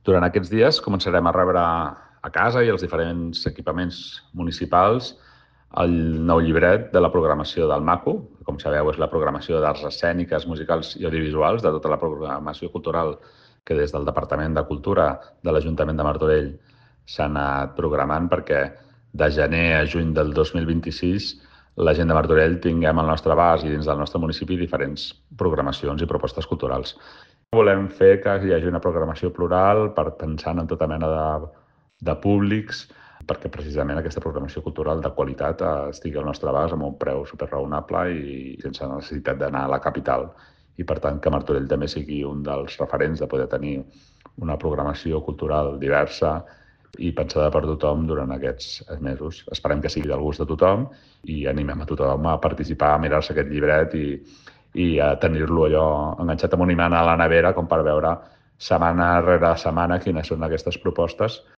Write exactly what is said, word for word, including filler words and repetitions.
Durant aquests dies començarem a rebre a casa i als diferents equipaments municipals el nou llibret de la programació del MACU. Com sabeu, és la programació d'arts escèniques, musicals i audiovisuals, de tota la programació cultural que des del Departament de Cultura de l'Ajuntament de Martorell s'ha anat programant perquè de gener a juny del dos mil vint-i-sis la gent de Martorell tinguem al nostre abast i dins del nostre municipi diferents programacions i propostes culturals. Volem fer que hi hagi una programació plural per pensant en tota mena de, de públics, perquè precisament aquesta programació cultural de qualitat estigui al nostre abast amb un preu superraonable i sense necessitat d'anar a la capital. I per tant que Martorell també sigui un dels referents de poder tenir una programació cultural diversa i pensada per tothom durant aquests mesos. Esperem que sigui del gust de tothom i animem a tothom a participar, a mirar-se aquest llibret i, i a tenir-lo allò enganxat amb un imant a la nevera com per veure setmana rere setmana quines són aquestes propostes